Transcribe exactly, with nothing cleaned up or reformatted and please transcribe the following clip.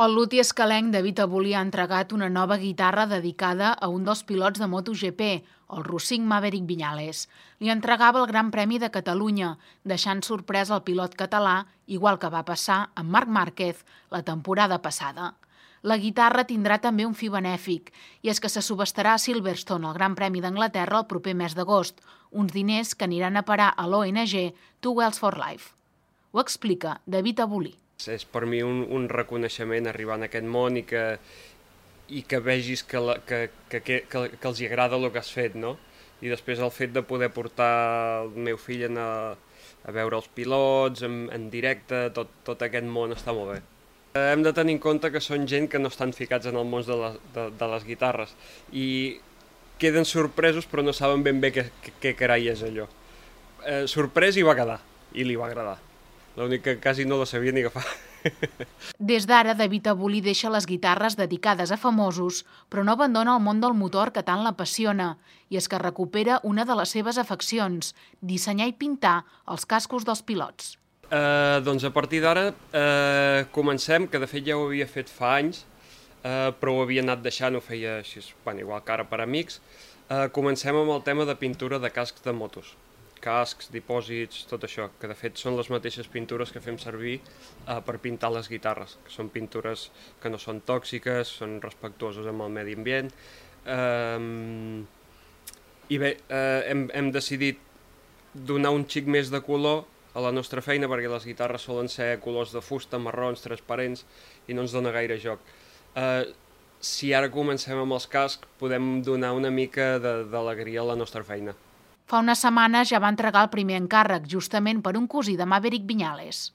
El luthier escalenc David Abulí ha entregat una nova guitarra dedicada a un dels pilots de MotoGP, el rossink Maverick Viñales. Li entregava el Gran Premi de Catalunya, deixant sorprès el pilot català, igual que va passar amb Marc Márquez la temporada passada. La guitarra tindrà també un fi benèfic, i és que se subestarà a Silverstone, el Gran Premi d'Anglaterra, el proper mes d'agost, uns diners que aniran a parar a l'O N G Two Wheels for Life. Ho explica David Abulí. És per mi un, un reconeixement arribar en aquest món i que, i que vegis que, la, que, que, que, que els hi agrada el que has fet, no? I després el fet de poder portar el meu fill a, a veure els pilots en, en directe, tot, tot aquest món està molt bé. Hem de tenir en compte que són gent que no estan ficats en el món de, la, de, de les guitarres i queden sorpresos però no saben ben bé què, què, què carai és allò. Eh, sorprès hi va quedar i li va agradar. L'únic que quasi no la sabia ni agafar. Des d'ara, David Abulí deixa les guitarres dedicades a famosos, però no abandona el món del motor que tant l'apassiona, i és que recupera una de les seves afeccions, dissenyar i pintar els cascos dels pilots. Eh, doncs a partir d'ara eh, comencem, que de fet ja ho havia fet fa anys, eh, però ho havia anat deixant, ho feia així, bueno, igual que ara per amics. Eh, comencem amb el tema de pintura de cascs de motos. Cascs, dipòsits, tot això, que de fet són les mateixes pintures que fem servir eh, per pintar les guitarres, que són pintures que no són tòxiques, són respectuoses amb el medi ambient. Eh, I bé, eh, hem, hem decidit donar un xic més de color a la nostra feina, perquè les guitarres solen ser colors de fusta, marrons, transparents, i no ens dona gaire joc. Eh, si ara comencem amb els cascs, podem donar una mica d'alegria a la nostra feina. Fa unes setmanes ja va entregar el primer encàrrec, justament per un cosí de Maverick Viñales.